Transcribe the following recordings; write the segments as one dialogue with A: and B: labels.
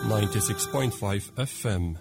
A: 96.5 FM.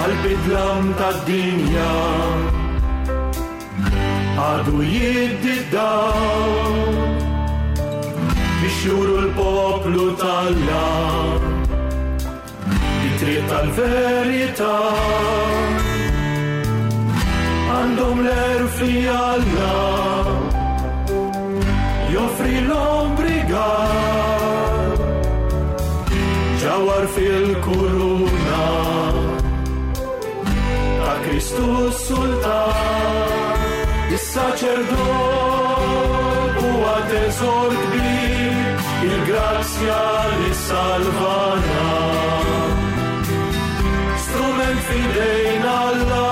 B: Għal-bidlam tad-dinja għadu jiddi dawl biex juru l-poplu talla it-triq tal-verità għandhom l-erfi Alla joffri l-ombrigar ġawar fil-kuruna ta' Kristu Sultan is-saċerdot huwa teżor kbir il-grazzja li salvana strument fidejn Alla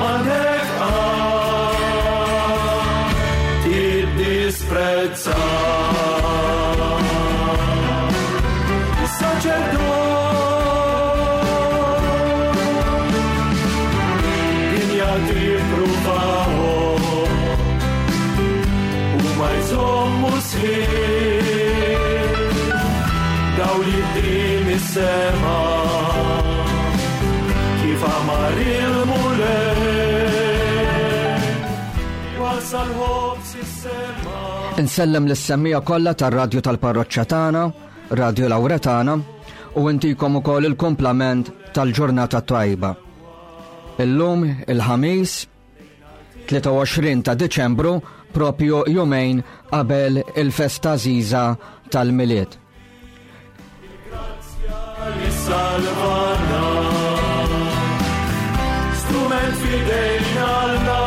B: m'għandek qatt tiddisprezza. Is-saċerdot dinja tippruvahom u ma jżommu sħiħ dawl jiddi mis-sema kif amar il-Mulej wasal ħobs is-sema.
C: Insellem lis-semmija kollha tar-radju tal-parroċċa tagħna, Radio Lauretana, u intikom ukoll il-kumplament tal-ġurnata tajba. Illum il-ħamis 23 ta' Diċembru propju jumejn qabel il-festa żiża tal-Milied.
B: Li salvana strument fidejn Alla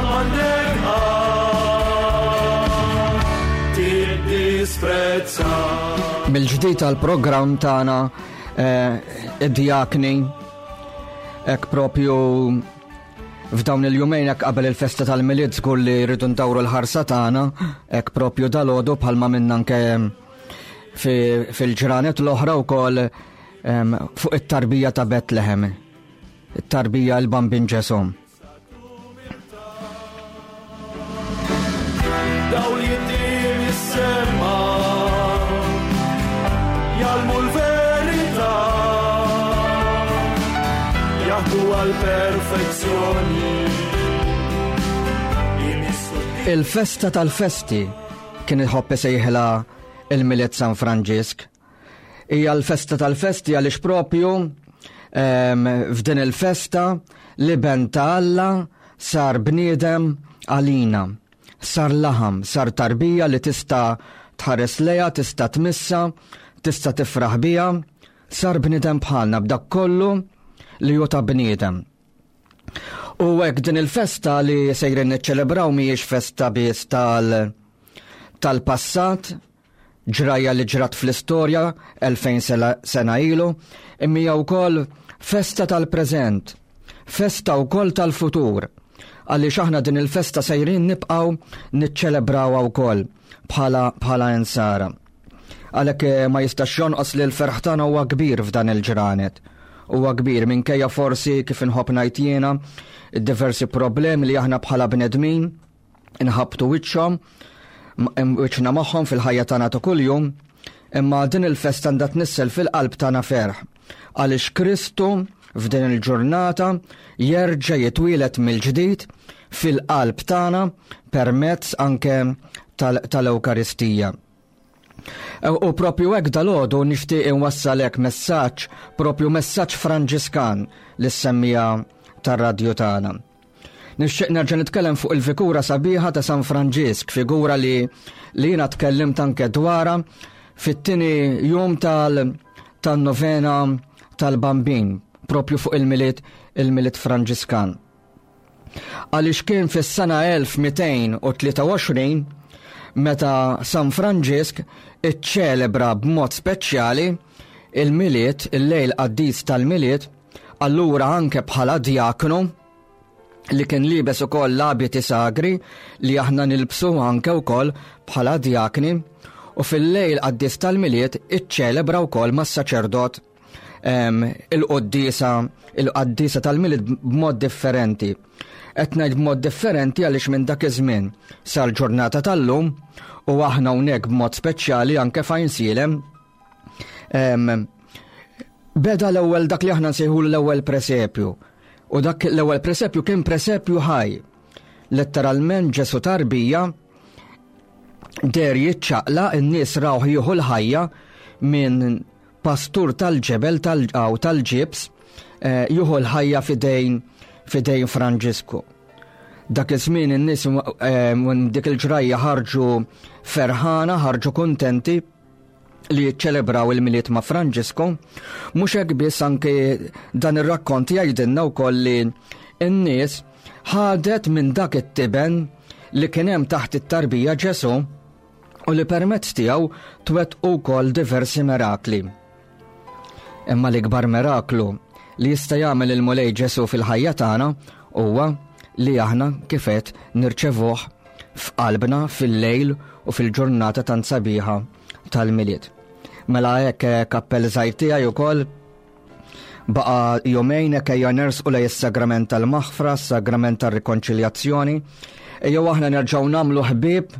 B: m'għandek qatt tiddisprezza.
C: Mill-ġdid tal-programm tagħna eh, id-djakni hekk propju f'dawn il-jumejn hekk qabel il-festa tal-Milied żgur li rridu ndawru l-ħarsa tagħna hekk propju dalgħodu bħalma minna anke fil-ġranet l-oħra wkoll fuq it-tarbija ta' Betlehem, it-tarbija l-Bambin Ġesù.
B: Dawl jiddi mis-sema jgħallmu l-verità jaħdu għall-perfezzjoni imissu
C: Il-festa tal-festi kien iħobb isejħilha il-Milied San Franġisk. Hija l-festa tal-festi għaliex propju f'din il-festa l-iben ta' Alla sar bniedem għalina. Sar laħam, sar tarbija li tista' tħares lejha, tista' tmissa, tista' tifraħ biha, sar bniedem bħalna b'dak kollu li hu ta' bniedem. U hekk din il-festa li sejrin niċċelebraw mhijiex festa biss tal tal-passat, ġrajja li ġrat fl-istorja 2000 sena ilu, imma hija wkoll festa tal-preżent, festa wkoll tal-futur. Għaliex aħna din il-festa sejrin nibqgħu niċċelebrawha wkoll bħala bħala insara. Għalhekk eh, ma jistax jonqos li l-ferħ tagħna huwa kbir f'dan il-ġranet. Huwa kbir minkejja forsi kif inħobb ngħid jiena diversi problemi li aħna bħala bnedmin inħabbtu wiċċhom wiċċna magħhom fil-ħajja tagħna ta' kuljum, imma din il-festa għandha tnissel fil-qalb tagħna ferħ għaliex Kristu f'din il-ġurnata jerġa' jitwieled mill-ġdid fil-qalb tagħna permezz anke tal-Ewkaristija. U propju hekk dalgħodu nixtieq inwassalek messaġġ, propju messaġġ Franġiskan li semmija tar-radju tagħna. Nixtieq nerġa' nitkellem fuq il-figura sabiħa ta' San Franġisk, figura li li jiena tkellimt anke dwarha. Fit-tieni jum tal-novena tal-Bambin, propju fuq il-Milied il-Milied Franġiskan. Għaliex kien fis-sena 1223 meta San Franġisk iċċelebra b'mod speċjali il-Milied, il-lejl qaddis tal-Milied, allura anke bħala djaknu li kien liebes ukoll l-abiti sagri li aħna nilbsu anke wkoll bħala djakni u fil-lejl qaddis tal-Milied iċċelebra wkoll mas-saċerdot il-qoddisa il-qaddisa tal-Milied b'mod differenti. Qed ngħid b'mod differenti għaliex minn dak iż-żmien sal-ġurnata tal-lum u aħna hawnhekk b'mod speċjali anke fejn sielem Beda l-ewwel dak li aħna nsejħu l-ewwel presepju. U dak l-ewwel presepju kien presepju ħaj. Letteralment Ġesu tarbija der jiċċaqla n-nies rawh jieħu l-ħajja minn pastur tal-ġebel tal-għaw tal-ġibs eh, jieħu l-ħajja fidejn fidejn Franġisku. Dak iż-żmien in-nies eh, minn dik il-ġrajja ħarġu ferħana, ħarġu kuntenti li jiċċelebraw il-Milied ma' Franġisku, mhux hekk biss anke dan ir-rakkont jgħidilna wkoll li n-nies ħadet minn dak it-tiben li kien hemm taħt it-tarbija Ġesu u li permezz tiegħu twettqu wkoll diversi mirakli. Imma l-ikbar miraklu li jista' jagħmel il-Mulej Ġesu fil-ħajja tagħna huwa li aħna kifet nirċevuh f'qalbna fil-lejl u fil-ġurnata tant sabiħa tal-Milied. Mela hekk eh, kappell żgħir tiegħi wkoll baqa jumejn hekk ejja nersqu lej is-sagrament tal-maħfra, s-sagrament tar-rikonċiljazzjoni. Ejjew aħna nerġgħu nagħmlu ħbieb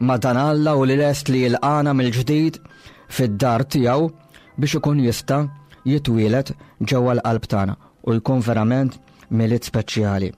C: ma' dan Alla u li lest li jilqana mill-ġdid fid-dar tiegħu biex ikun jista' jitwielet ġewwa l-qalb tagħna u jkun verament Milied speċjali.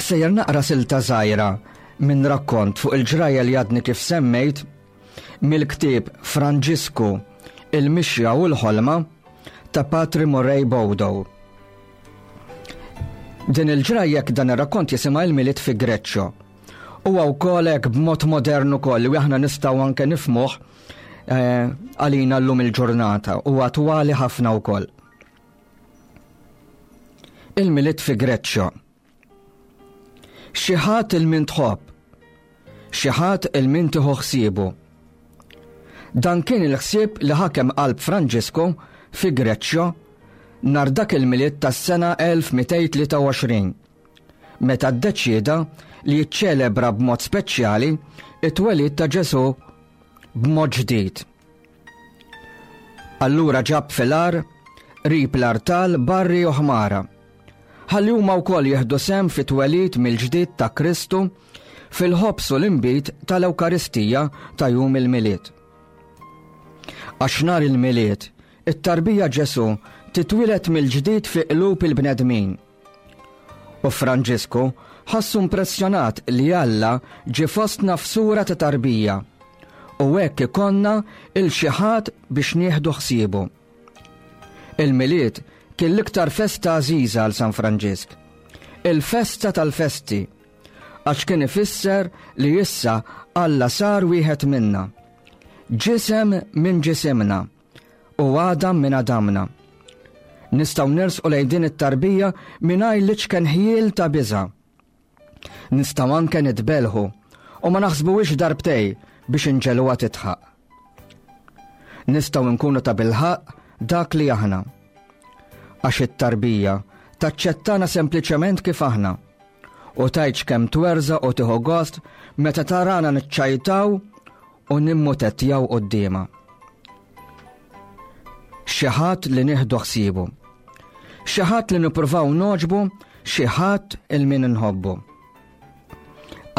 C: Sejjer naqra silta żgħira minn rakkont fuq il-ġrajja li għadni kif semmejt mill-ktieb Franġisku, il-mixja u l-ħolma ta' Patri Murray Bodo. Din il-ġrajja dan ir-rakkont jisimha il-Milied fi Greċċo. Huwa wkoll hekk b'mod modern ukoll li aħna nistgħu anke nifmuh eh, għalina llum il-ġurnata u attwali ħafna wkoll. Il-Milied fi Greċċo. Xi ħadd il min tħobb, xi ħadd il min tieħu ħsiebu. Dan kien il-ħsieb li ħakem qalb Franġisku fi Greċċjo nhar dak il-Milied tas-sena 1223, meta ddeċieda li jiċċelebra b'mod speċjali it-twelid ta' Ġesù b'mod ġdid. Allura ġab fil-għar qrib l-artal barri u ħmara. Ħalli huma wkoll jieħdu sehem fit-twelid mill-ġdid ta' Kristu fil-ħobż u l-inbid tal-Ewkaristija ta' jum il-Milied. Għax nhar il-Milied, it-tarbija Ġesù titwieled mill-ġdid fi qlub il-bnedmin. U Franġisku ħassu impressjonat li Alla ġie fostna f'sura ta' tarbija u hekk ikollna il xi ħadd biex nieħdu ħsiebu. Il-Milied kien l-iktar festa għażiża għal San Franġisk. Il-festa tal-festi, għax kien ifisser li issa Alla sar wieħed minna. Ġisem minn ġisimna u għadam minn għadamna. Nistgħu nersqu lejn din it-tarbija mingħajr l-iċken ħjiel ta' biża'. Nistgħu anke nitbelħu u ma naħsbuhiex darbtej biex inġeluha titħaq. Nistgħu nkunu ta' bilħaq dak li aħna. Għax it-tarbija taċċettana sempliċement kif aħna u tgħidx kemm twerża u tieħu gost meta tarana niċċajtaw u nimmutettjaw quddiemha. Xi ħadd li nieħdu ħsiebu. Xi ħadd li nippruvaw noġbu, xi ħadd il min inħobbu.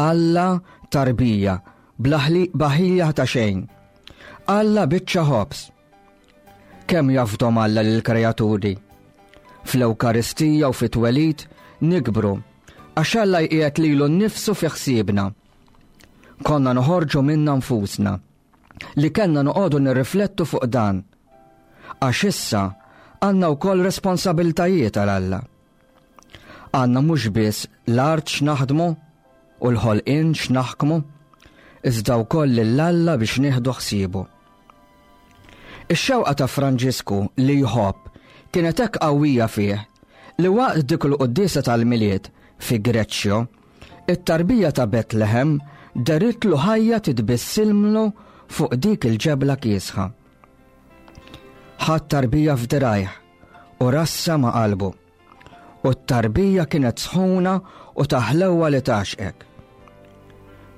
C: Alla tarbija, baħija ta' xejn. Alla biċċa ħobż. Kemm jafdom Alla lill-kreaturi. Fl-Ewkaristija u fit-twelid nikbru għax Alla jqiegħed lilu nnifsu fi ħsiebna. Konna noħorġu minna nfusna li kellna noqogħdu nirriflettu fuq dan. Għax issa għandna wkoll responsabiltajiet għal Alla. Għandna mhux biss l-art x'naħdmu u l-ħolqien x'naħkmu, iżda wkoll lil Alla biex nieħdu ħsiebu. Ix-xewqa ta' Franġisku li jħobb kienet hekk qawwija fih li waqt dik il-quddiesa tal-Milied fi Greċċjo, it-tarbija ta' Betlehem deritlu ħajja titbissilmlu fuq dik il-ġebla kiesħa. Ħadd tarbija f'dirajh u rassa ma' qalbu. U t-tarbija kienet sħuna u taħlewwa li tgħaxqek.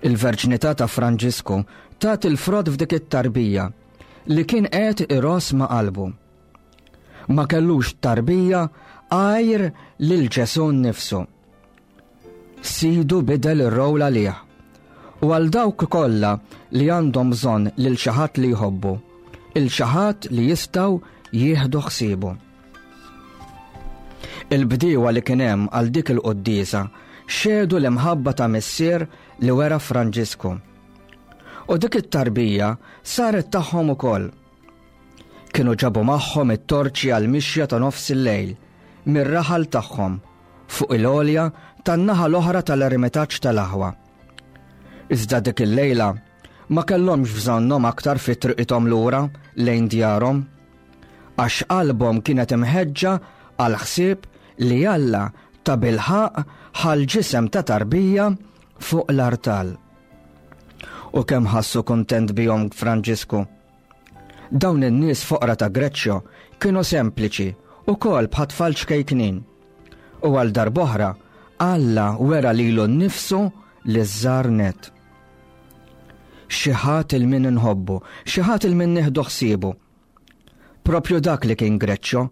C: Il-verġnità ta' Franġisku tat il-frott f'dik it-tarbija li kien qed iross ma' qalbu. Ma kellux tarbija għajr lil Ġesù nnifsu. Sidu bidel ir-rowl għalih. U għal dawk kollha li għandhom bżonn lil xi ħadd li jħobbu, il xi ħadd li jistgħu jieħdu ħsiebu. Il-bdiewa li kien hemm għal dik il-quddiesa xehdu l-imħabba ta' missier li wera Franġisku. U dik it-tarbija saret tagħhom ukoll. Kienu ġabu magħhom it-torċi għal mixja ta' nofs il-lejl mir-raħal tagħhom fuq il-għolja tan-naħa l-oħra tal-eremitaġġ tal-aħwa. Iżda dik il-lejla ma kellhomx bżonnhom aktar fi triqithom lura lejn djarhom. Għax qalbhom kienet imħeġġa għal ħsieb li Alla tabilħaqq ħa l-ġisem ta' tarbija fuq l-artal. U kemm ħassu kuntent bihom Franġisku. Dawn in-nies foqra ta' Greċċjo kienu sempliċi ukoll bħat-tfal ċkejknin. U għal darb'oħra Alla wera lilu nnifsu liż-żgħar nett. Xi ħadd il min inħobbu, xi ħadd il min nieħdu ħsiebu. Propju dak li kien Greċċjo,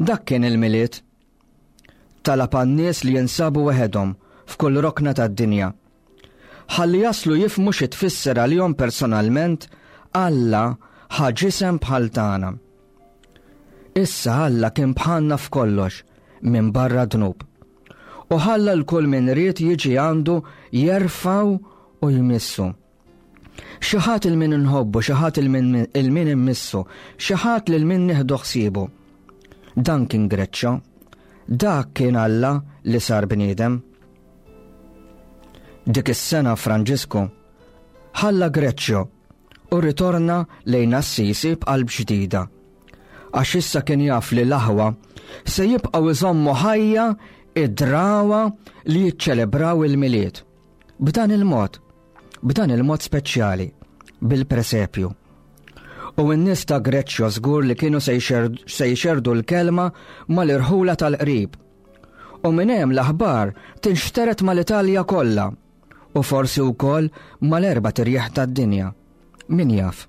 C: dak kien il-Milied. Talab għan-nies li jinsabu weħedhom f'kull rokna tad-dinja. Ħalli jaslu jifhmu xi tfisser għalihom personalment Alla ħa ġisem bħal tagħna. Issa Alla kien bħalna f'kollox minn barra dnub. U ħalla l-kull min ried jiġi għandu jerfgħu u jmissu. Xi ħadd il min inħobbu, xi ħadd il min immissu, xi ħadd lil min nieħdu ħsiebu. Dan kien Greċċo. Dak kien Alla li sar bniedem. Dik is-sena Franġisku ħalla Greċċo u rritorna lejn Assisi b'qalb ġdida. Għax issa kien jaf li l-aħwa se jibqgħu iżommu ħajja id-drawa li jiċċelebraw il-Milied. B'dan il-mod, b'dan il-mod speċjali, bil-presepju. U n-nies ta' Greċċjo żgur li kienu se jxerdu l-kelma mal-irħula tal-qrib. U minn hemm l-aħbar tinxtered mal-Italja kollha u forsi wkoll mal-erba' tirjieħ tad-dinja. Min jaf?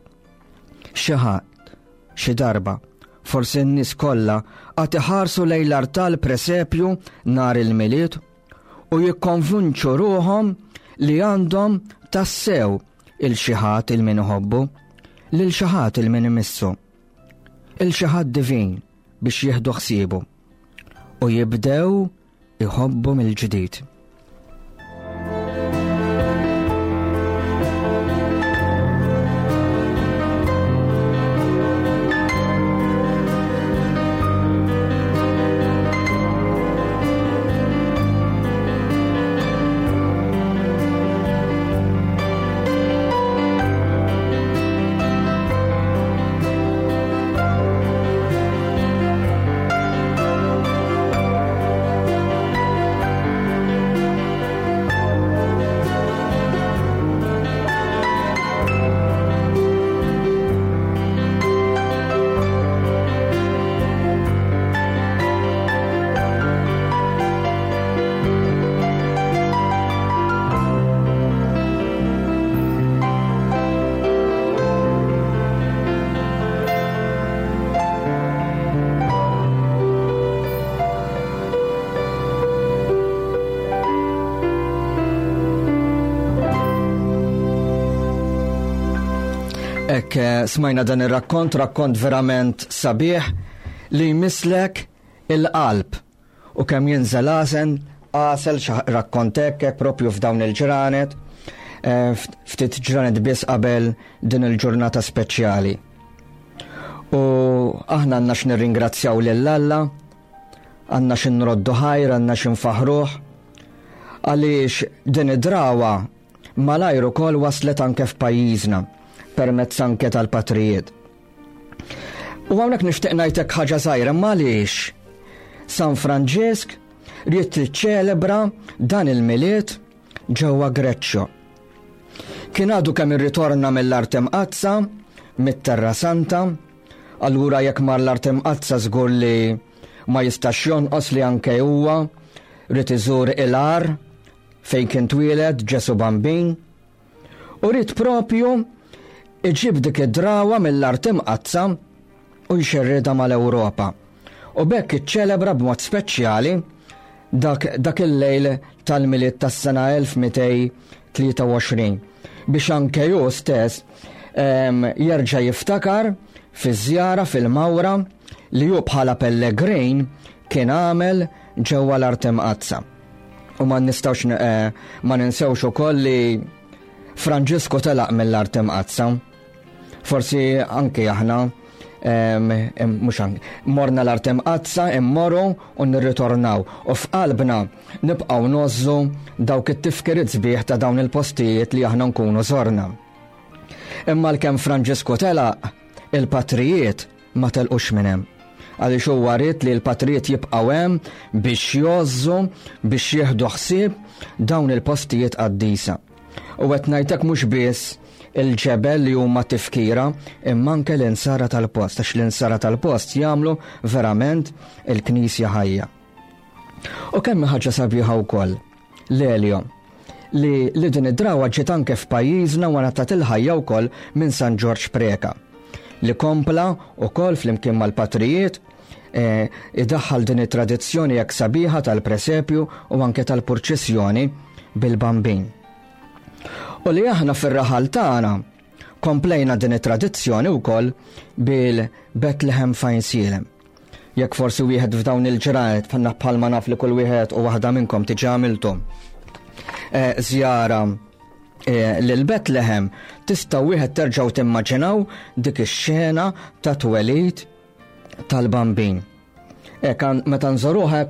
C: Xi ħadd, xi darba, forsi n-nies kollha għad iħarsu lejn l-artal presepju nhar il-Milied u jikkonvinċu ruħhom li għandhom tassew il xi ħadd il min iħobbu, lil xi ħadd il min imissu, il xi ħadd divin biex jieħdu ħsiebu u jibdew iħobbu mill-ġdid. Ek eh, smajna dan ir-rakkont, rakkont verament sabiħ li jmislek il-qalb u kemm jinżel għasen għasel rakkont hekk propju f'dawn il-ġranet, eh, ftit ġranet biss qabel din il-ġurnata speċjali. U aħna għandna x'nirringrazzjaw lil Alla, għandna x'inroddu ħajr, għandna x'infaħruh, għaliex din id-drawa malajr ukoll waslet anke f'pajjiżna permezz anke tal-patrijiet. U hawnhekk nixtieq ngħidlek ħaġa żgħira ma għaliex San Franġisk ried tiċċelebra dan il-Milied ġewwa Greċċo. Kien għadu kemm irritorna mill-Art Imqaddsa, mit-Terra Santa, allura jekk mar l-Art Imqaddsa żgur li ma jistax jonqos li anke huwa ried iżur il-għar fejn kien twieled Ġesu Bambin u ried propju iġib dik id-drawa mill-Art Imqaddsa u jxerridha mal-Ewropa. U b'hekk iċċelebra b'mod speċjali dak, dak il-lejl tal-Milied tas-sena 1223 biex anke hu stess jerġa' jiftakar fiż-żjara fil-mawra li hu bħala pellegrin kien għamel ġewwa l-Art Imqaddsa. U ma nistgħux eh, ma ninsewx ukoll li Franġisku telaq mill-Art Imqaddsa. Forsi anki aħna mhux anki morna l-Art Imqaddsa, immorru u nirritornaw. U f'qalbna nibqgħu ngħożżu dawk it-tifkiriet sbieħ ta' dawn il-postijiet li aħna nkunu żorna. Imma l-kemm Franġisku telaq, il-patrijiet ma telqux minn hemm. Għaliex huwa ried li l-patrijiet jibqgħu hemm biex jgħożżu, biex jieħdu ħsieb dawn il-postijiet qaddisa. U qed ngħidlek mhux biss il-ġebel li huma tifkira imma anke l-insara tal-post, għax l-insara tal-post jagħmlu verament il-Knisja ħajja. U kemm ħaġa sabiħa wkoll, l-Elio, li, li din id-drawa ġiet anke f'pajjiżna wara tat il-ħajja wkoll minn San Ġorġ Preka, li kompla wkoll flimkien mal-patrijiet eh, idaħħal din it-tradizzjoni hekk sabiħa tal-presepju u anke tal-purċissjoni bil-bambin. U li aħna fir-raħal tagħna komplejna din it-tradizzjoni wkoll bil-Bethlehem Fajnsielem. Jekk forsi wieħed f'dawn il-ġranet bħalma bħalma naf li kull wieħed u waħda minnkom tiġi għamiltu eh, żjara eh, lil Bethlehem tista' wieħed terġgħu timmaġinaw dik ix-xena ta' twelid tal-bambin. Ek meta nżoruha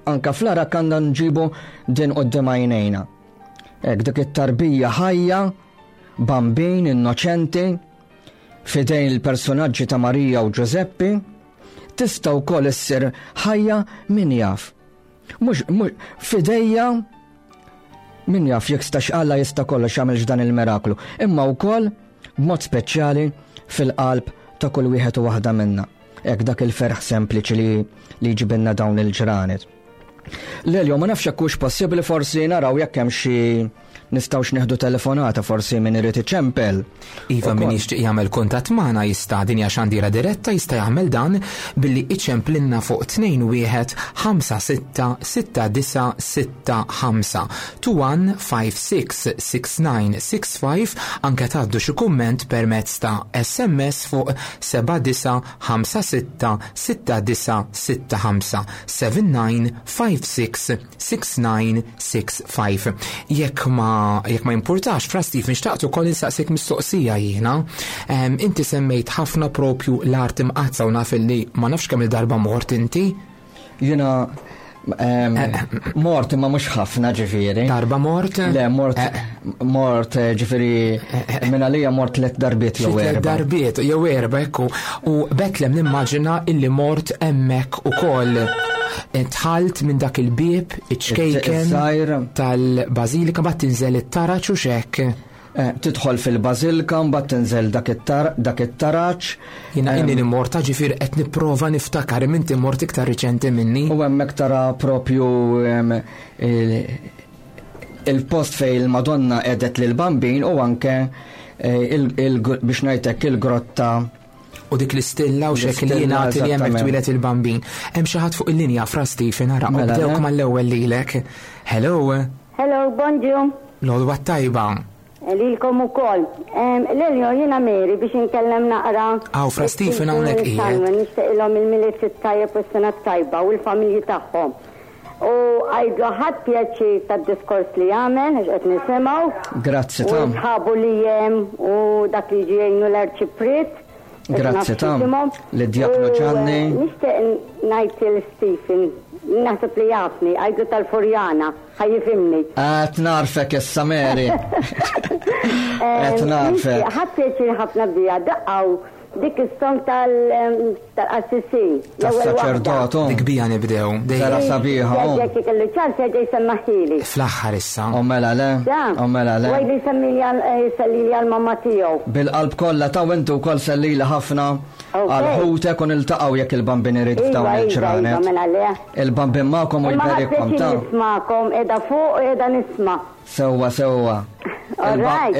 C: anka fl-ara għandna nġibu din qudiem għajnejna. Ek dik it-tarbija ħajja, bambin innoċenti, fidejn il-personaġġi ta' Marija u Ġużeppi, tista' wkoll issir ħajja min jaf. Mhux fidejja min jaf jekk stax Alla jista' kollox jagħmel dan il-miraklu, imma wkoll b'mod speċjali fil-qalb ta' kull wieħed u waħda minna. Hekk dak il-ferħ sempliċi li li jġibilna dawn il-ġranet. Lelio, ma nafx jekk hux possibbli forsi naraw jekk hemm xi nistgħux nieħdu telefonata forsi min irid iċempel.
A: Iva min jixtieq jagħmel kuntatt magħna jista' din hija xandira diretta jista' jagħmel dan billi iċemplinna fuq 21 56 69 65 21 56 69 65 anke tgħaddu xi kumment permezz ta' SMS fuq 79 56 69 65 79 56 6965. Jekk ma jekk ma jimpurtax, Fra Stephen, xtaqt ukoll insaqsik mistoqsija jiena. Inti semmejt ħafna propju l-art imqaddsa u naf illi ma nafx kemm il-darba mort inti.
C: Jiena mort imma mhux ħafna ġifieri.
A: Darba mort?
C: Le, mort eh. mort eh, ġifieri eh, minn għalija mort tliet darbiet jew erba'.
A: Darbiet jew erba' ekku. U Betlem nimmaġina illi mort hemmhekk ukoll. Dħalt minn dak il-bieb iċ-ċkejken tal-bażilika mbagħad tinżel it-taraġ u x'hekk.
C: Eh, tidħol fil-bażilka mbagħad tinżel dak it-taraġ.
A: Jiena inni nimmorta ġifier qed nipprova niftakar imma inti mort iktar riċenti minni.
C: U hemmhekk tara propju il-post fej il-Madonna edet lil Bambin u anke eh, biex ngħidlek il-grotta
A: U dik l-istilla u xek li jingħati li hemmhekk twieled il-bambin. Hemm xi ħadd fuq il-linja fra Stephen ara mela, bdewk mal-ewwel lilek. Hello.
D: Hello, bonġu.
A: L-għodwa tajba.
D: Lilkom ukoll. Lelio, jiena Mary biex inkellem naqra.
A: Aw, Fra Stephen hawnhekk qiegħed.
D: Nixtieqilhom il-Milied it-tajjeb u s-sena t-tajba u l-familji tagħhom. U għidlu ħadt pjaċir tad-diskors li għamel għax qed nisimgħu.
C: Grazzi ta'.
D: U sħabu li hemm u dak li jiġi jgħinu l-Arċipriet.
C: Grazzi ta' lid-Djaknu Ġanni.
D: Nixtieq ngħid lil Stephen, naħseb li jafni, għidlu tal-Furjana, ħa jifhimni.
C: Qed narfek issa Mary. Qed narfek.
D: Ħadt pjaċir ħafna biha, daqqgħu Dik is-song tal-qassisin.
C: Tas-saċerdot.
A: Dik bija nibdew.
C: Vera sabiħa.
D: Jekk ikellu ċans jerġa' jsemmaħili.
A: Fl-aħħar issa.
C: O mela le. O mela le.
D: Għajli jsellili għal-mamma tiegħu.
C: Bil-qalb kollha ta' intu wkoll sellili ħafna għal ħutek u niltaqgħu jekk il-bambin irid
D: Iva,
C: f'dawn
D: iva,
C: il-ġranet.
D: Iva, mela le.
C: Il-bambin magħkom u jberikkom ta'
D: Nismakom, qiegħda fuq u qiegħda nisma'.
C: Sewwa sewwa.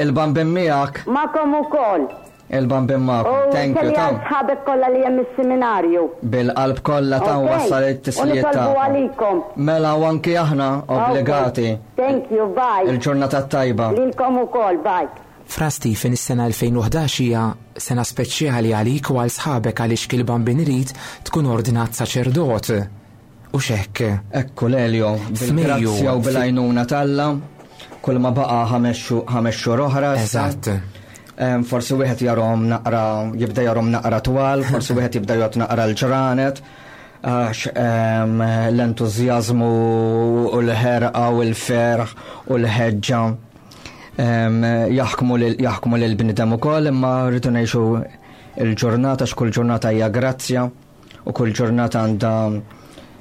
C: Il-bambin miegħek.
D: Magħkom ukoll.
C: Il-bambin magħkom. Thank you
D: ta' sħabek kollha li hemm is-seminarju.
C: Bil-qalb kollha ta' wassal it-tislijiet
D: ta' għalikom.
C: Mela u anki aħna obbligati.
D: Thank you, bye.
C: Il-ġurnata tajba.
D: Lilkom ukoll, bye.
A: Fra Stephen, is-sena 2011 hija sena speċjali għalik u għal sħabek għaliex kil-bambin irid tkun ordnat saċerdot. Hux hekk?
C: Ekku Lelio, bil-grazzja u bil-għajnuna t'Alla, kull ma baqa' ħames xhur oħra.
A: Eżatt.
C: Forsi wieħed jarhom naqra, jibda jarhom naqra twal, forsi wieħed jibda jgħod naqra l-ġranet, għax l-entużjażmu u l-ħerqa u l-ferħ u l-ħeġġa jaħkmu lil bnidem ukoll, imma rridu ngħixu il-ġurnata x'kull ġurnata hija grazzja. U kull ġurnata għandha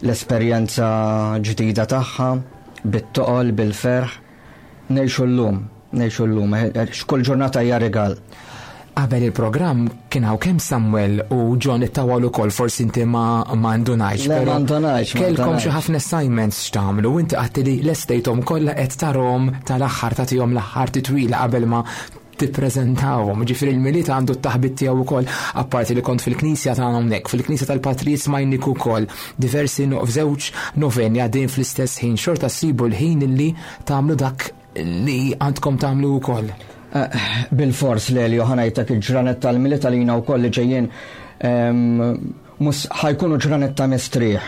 C: l-esperjenza ġdida tagħha, bit-toqol, bil-ferħ. Ngħixu llum, ngħixu llum, x'kull ġurnata hija rigal.
A: Qabel il-programm kien hawn kemm Samuel u John ittawal ukoll forsi inti ma ma ndunajx.
C: Le, ma ndunajx.
A: Kellkom xi ħafna assignments x'tagħmlu u inti qatt li lestejthom kollha qed tarhom tal-aħħar tagħtihom l-aħħar titwila qabel ma tippreżentawhom. Ġifieri l-Milied għandu t-taħbit tiegħu wkoll, apparti li kont fil-knisja tagħna hawnhekk, fil-knisja tal-Patrijiet smajnik ukoll diversi f'żewġ noveni għaddejjin fl-istess ħin, xorta ssibu l-ħin illi tagħmlu dak li għandkom tagħmlu wkoll.
C: Eh, bil-fors Lelio ħanajtek il-ġranet tal-Milied għalina wkoll li ġejjin ehm, mus ħajkunu ġranet ta' mistrieħ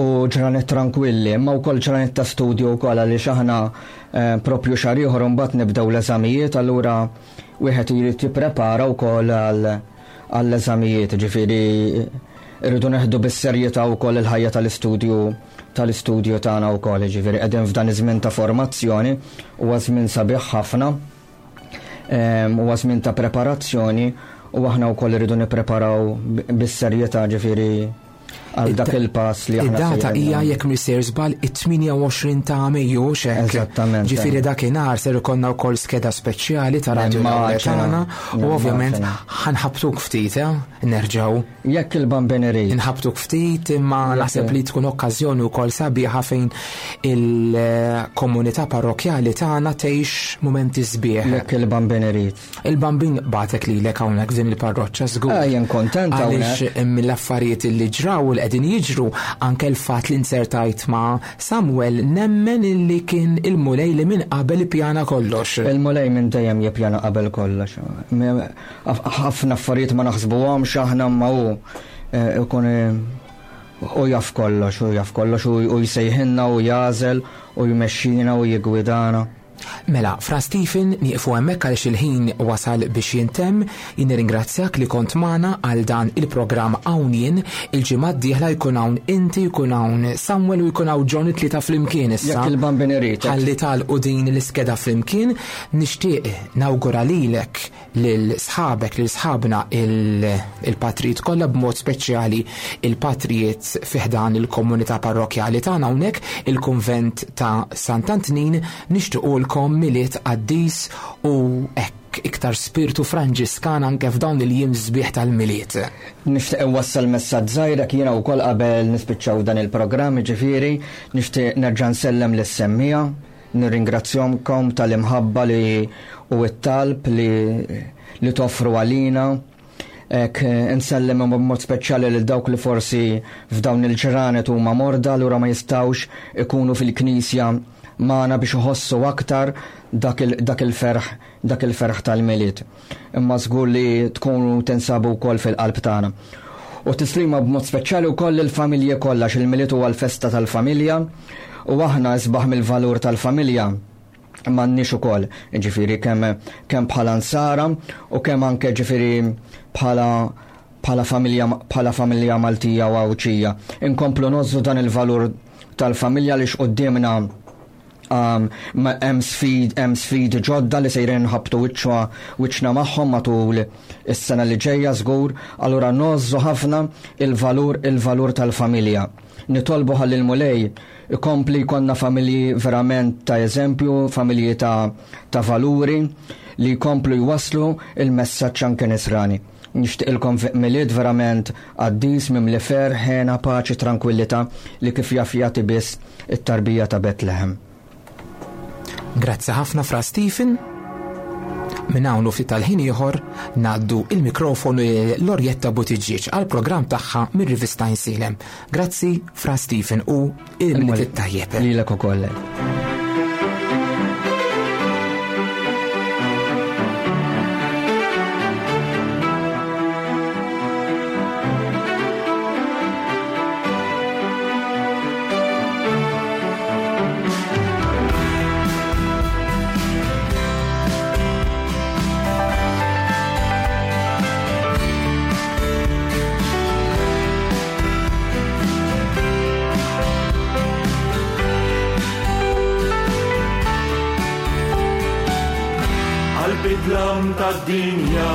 C: u ġranet trankwilli, imma wkoll ġranet ta' studju wkoll għaliex aħna eh, propju xahar ieħor imbagħad nibdew l-eżamijiet, allura wieħed irid jipprepara wkoll għall-eżamijiet, ġifieri irridu neħdu bis-serjetà wkoll il-ħajja tal-istudju tal-istudju tagħna wkoll, ġifieri qegħdin f'dan iż-żmien ta' formazzjoni huwa żmien sabiħ ħafna Huwa żmien ta' preparazzjoni u aħna wkoll irridu nippreparaw bis-serjetà ġifieri għal dak il-pass li
A: aħna. Id-data hija jekk mhux sejr żball it-28 ta' Mejju hux hekk.
C: Eżattament.
A: Ġifieri dakinhar ser ikollna wkoll skeda speċjali ta' Radio tagħna u ovvjament ħanħabtuk ftit, eh? Nerġgħu.
C: Jekk il-Bambin irid.
A: Inħabtuk ftit imma naħseb li tkun okkażjoni wkoll sabiħa fejn il-komunità parrokjali tagħna tgħix mumenti sbieħ.
C: Jekk il-Bambin irid.
A: Il-Bambin bagħtek lilek hawnhekk f'din il-parroċċa żgur.
C: Eh, jien kontent
A: hawnhekk. Għaliex mill-affarijiet li ġraw u li qegħdin jiġru anke l-fatt li nsertajt ma' Samuel nemmen illi kien il-Mulej li minn qabel ippjana kollox.
C: Il-Mulej minn dejjem jippjana qabel kollox. Ħafna affarijiet ma naħsbuhomx aħna imma hu eh, ikun eh, u jaf kollox, u jaf kollox u jsejħilna u jagħżel u jmexxina u jiggwidana.
A: Mela, Fra Stephen, nieqfu hemmhekk għaliex il-ħin wasal biex jintemm. Jien nirringrazzjak li kont magħna għal dan il-programm Hawn Jien. Il-ġimgħa d-dieħla jkun hawn inti, jkun hawn Samuel u jkun hawn John it-tlieta flimkien issa.
C: Jekk il-Bambin irid.
A: Ħalli tagħlqu din l-iskeda flimkien. Nixtieq nawgura lilek lil sħabek, lil sħabna il-patrijiet kollha b'mod speċjali il-patrijiet fi ħdan il-komunità parrokjali tagħna hawnhekk il-kunvent ta' Sant'Antnin nixtiequlkom Milied qaddis u hekk iktar spirtu Franġiskan anke f'dawn il-jiem sbieħ tal-Milied.
C: Nixtieq inwassal messaġġ żgħir hekk jiena wkoll qabel nispiċċaw dan il-programm, jiġifieri nixtieq nerġa' nsellem lis-semmiegħa Nirringrazzjomkom tal-imħabba li u t-talb li li toffru għalina. Hekk insellem b'mod speċjali lil dawk li forsi f'dawn il-ġranet huma morda allura ma jistgħux ikunu fil-knisja magħna biex iħossu aktar dak il-ferħ dak il-ferħ tal-Milied. Imma żgur li tkunu tinsabu wkoll fil-qalb tagħna. U tislima b'mod speċjali wkoll lill-familji kollha x'il-Milied huwa l-festa tal-familja u aħna isbaħ mill-valur tal-familja m'għandniex ukoll, ġifieri kemm kemm bħala nsara u kemm anke ġifieri bħala bħala familja bħala familja Maltija u Għawdxija. Inkomplu nożżu dan il-valur tal-familja li x'quddiemna um, hemm sfid hemm sfidi ġodda li sejrin nħabtu wiċċa wiċċna magħhom matul is-sena li ġejja żgur, allura nożżu ħafna il-valur il-valur tal-familja. Nitolbu ħalli l-Mulej ikompli jkollna familji verament ta' eżempju, familji ta', ta valuri li jkomplu jwasslu il-messaġġ anke nisrani. Nixtieqilkom Milied verament qaddis mimli ferħ, hena, paċi, trankwillità li kif jaf jagħti biss it-tarbija ta' Betlehem.
A: Grazzi ħafna Fra Stephen. Minn hawn u ftit tal-ħin ieħor ngħaddu il-mikrofonu lil Lorjetta Buttigieg għal programm tagħha mir-rivista Insilem. Grazzi Fra Stephen u il-Milied it-tajjeb.
C: Lilek ukoll.
B: Għal-bidlam tad-dinja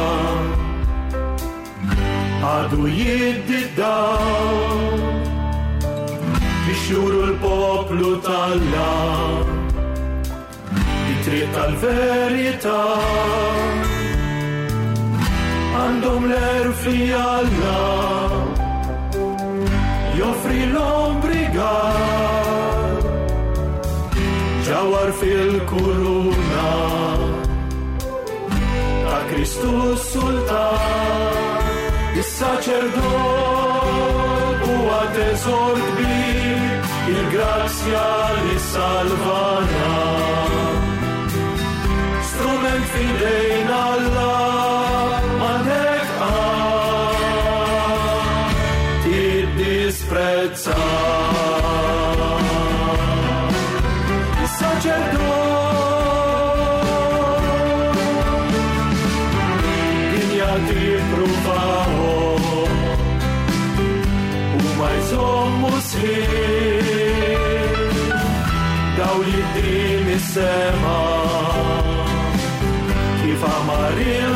B: għadu jiddi dawl biex juru l-poplu talla it-triq tal-verità għandhom l-erf li Alla joffri l-ombrigar ġawar fil-kuruna ta' Kristu Sultan is-saċerdot huwa teżor kbir il-grazzja li salvana strument fidejn Alla m'għandek qatt tiddisprezza. Is-saċerdot dinja tippruvahom u ma jżommu sħiħ dawl jiddi mis-sema kif amar il